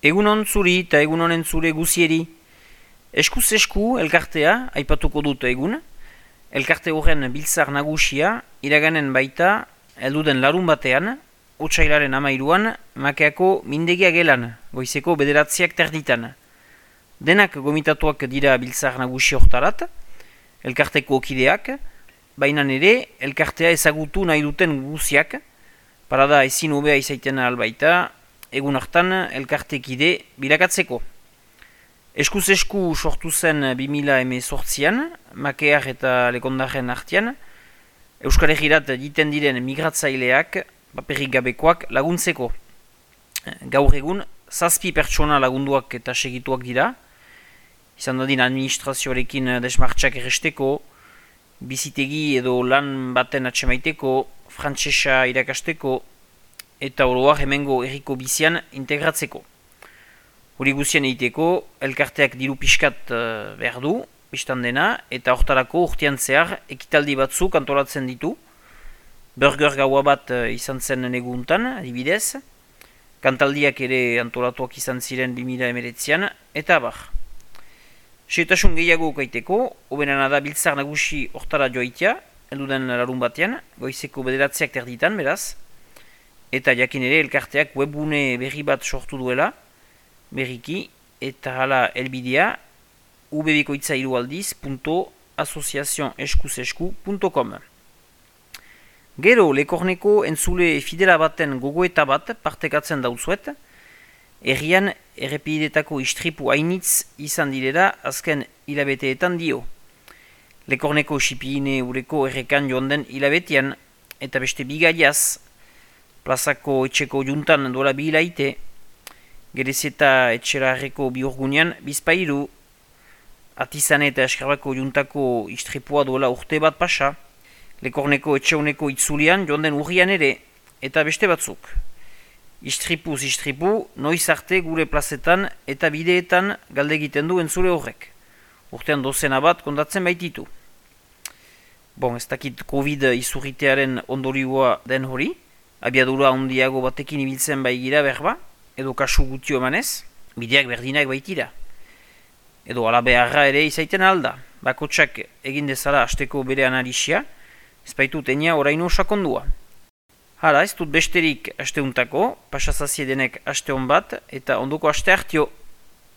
Egunon zuri eta egun honen zure guzieri. Eskuz esku elkartea aipatuko dut egun. Elkarte horren biltzar nagusia iraganen baita helduden larun batean, otsailaren 13an, Makeako mindegia gelan, goizeko 9 terditan. Denak gomitatuak dira biltzar nagusi hortarat, elkarteko kideak, baina ere elkartea ezagutu nahi duten guziak, parada ezin hobea izaiten albaita, egun hartan elkartekide bilakatzeko. Eskuz esku sortu zen 2018an, Makear eta Lekondaren artean, Euskal Herrirat egiten diren migratzaileak, paperik gabekoak laguntzeko. Gaur egun, 7 pertsona lagunduak eta segituak dira, izan dadin administrazioarekin desmartxak erresteko, bizitegi edo lan baten atsemaiteko, frantsesa irakasteko, eta oroak hemengo herriko bizian integratzeko. Hori guzien egiteko, elkarteak diru pixkat behar du, biztan dena, eta hortarako urtean zehar ekitaldi batzuk antolatzen ditu. Burger gaua bat izan zen neguntan, adibidez, kantaldiak ere antolatuak izan ziren 2019an, eta abar. Seitasun gehiago ukaiteko, hobenana da biltzar nagusi hortara joaitea, helduden larun batean, goizeko 9 terditan, beraz, eta jakin ere elkarteak webgune berri bat sortu duela, berriki, eta hala helbidea www.associacioneskuzesku.com. Gero, Lekorneko entzule fidela baten gogoeta bat partekatzen dauzuet, herrian errepidetako istripu hainitz izan direla azken hilabeteetan dio. Lekorneko Xipirine ureko errekan joan den hilabetean, eta beste bigaiaz, plazako etxeko juntan dola bi hilaite, Gerezeta etxerarreko bihurgunean bizpairu, Atizane eta Eskrabako juntako istripua dola urte bat pasa, Lekorneko etxeuneko itzulian joan den urrian ere, eta beste batzuk. Istripuz istripu, noiz arte gure plazetan eta bideetan galde egiten du entzule horrek. Urtean dozena bat kondatzen baititu. Ez dakit Covid izurritearen ondorioa den hori, abiadura handiago batekin ibiltzen baigira berba, edo kasu gutio emanez, bideak berdinak baitira. Edo ala beharra ere izaiten alda, bakotsak egin dezala asteko bere analisia, ez baitut enia oraino sakondua. Hala, ez dut besterik asteuntako, pasazazie denek aste hon bat, eta ondoko aste hartio.